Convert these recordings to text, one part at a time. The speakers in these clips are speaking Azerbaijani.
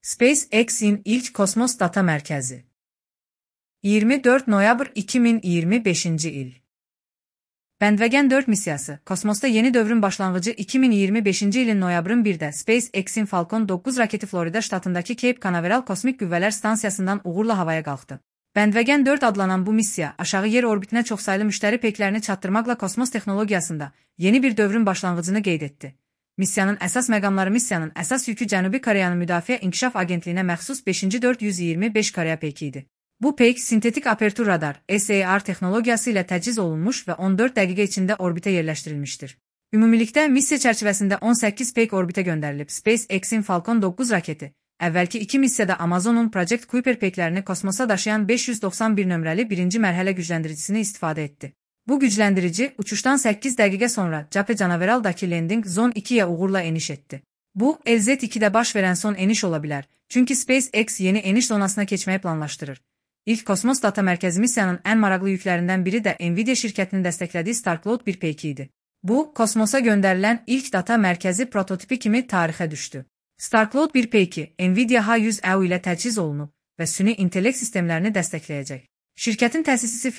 SpaceX'in ilk kosmos data mərkəzi. 24 noyabr 2025-ci il. Bəndvəgən 4 missiyası, kosmosda yeni dövrün başlanğıcı 2025-ci ilin noyabrın 1-də SpaceX'in Falcon 9 raketi Florida ştatındakı Cape Canaveral Kosmik Qüvvələr Stansiyasından uğurla havaya qalxdı. Bəndvəgən 4 adlanan bu missiya, aşağı yer orbitinə çoxsaylı müştəri peyklərini çatdırmaqla kosmos texnologiyasında yeni bir dövrün başlanğıcını qeyd etdi. Missiyanın əsas məqamları missiyanın əsas yükü Cənubi Koreyanın Müdafiə İnkişaf Agentliyinə məxsus 5-ci 425 Koreya peyki idi. Bu peyk sintetik apertur radar (SAR) texnologiyası ilə təchiz olunmuş və 14 dəqiqə içində orbitə yerləşdirilmişdir. Ümumilikdə missiya çərçivəsində 18 peyk orbitə göndərilib. SpaceX'in Falcon 9 raketi, əvvəlki 2 missiyada Amazon'un Project Kuiper peyklərini kosmosa daşıyan 591 nömrəli birinci mərhələ gücləndiricisini istifadə etdi. Bu gücləndirici, uçuşdan 8 dəqiqə sonra Cape Canaveral'dakı Landing Zone 2-yə uğurla eniş etdi. Bu, LZ-2-də baş verən son eniş ola bilər, çünki SpaceX yeni eniş zonasına keçməyi planlaşdırır. İlk kosmos data mərkəzi missiyanın ən maraqlı yüklərindən biri də Nvidia şirkətinin dəstəklədiyi Starcloud 1 peyki idi. Bu, kosmosa göndərilən ilk data mərkəzi prototipi kimi tarixə düşdü. Starcloud 1 peyki Nvidia H100E ilə təchiz olunub və süni intellekt sistemlərini dəstəkləyəcək. Şirkətin təsisçisi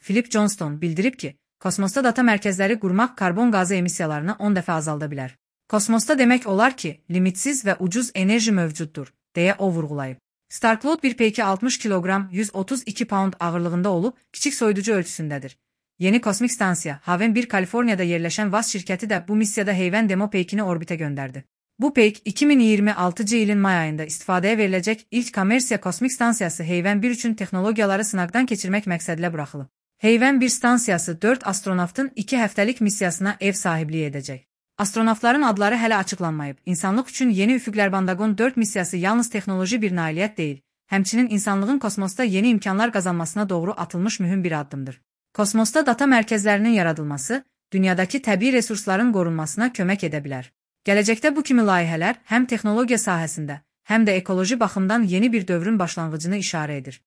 Philip Johnston bildirib ki, kosmosda data mərkəzləri qurmaq karbon qazı emissiyalarını 10 dəfə azalda bilər. Kosmosda demək olar ki, limitsiz və ucuz enerji mövcuddur, deyə o vurğulayıb. Starcloud 1 peyki 60 kiloqram 132 pound ağırlığında olub, kiçik soyuducu ölçüsündədir. Yeni kosmik stansiya, Haven 1 Kaliforniyada yerləşən VAS şirkəti də bu missiyada heyvən demo peykini orbitə göndərdi. Bu peyk 2026-cı ilin may ayında istifadəyə veriləcək ilk kommersiya kosmik stansiyası Heyvən 1 üçün texnologiyaları sınaqdan keçirmək məqsədilə buraxılıb. Heyvən 1 stansiyası 4 astronavtın 2 həftəlik missiyasına ev sahibliyi edəcək. Astronavtların adları hələ açıqlanmayıb. İnsanlıq üçün yeni üfüqlər Bandagon 4 missiyası yalnız texnoloji bir nailiyyət deyil, həmçinin insanlığın kosmosda yeni imkanlar qazanmasına doğru atılmış mühüm bir addımdır. Kosmosda data mərkəzlərinin yaradılması, dünyadakı təbii resursların qorunmasına kömək edə bilər. Gələcəkdə bu kimi layihələr həm texnologiya sahəsində, həm də ekoloji baxımdan yeni bir dövrün başlanğıcını işarə edir.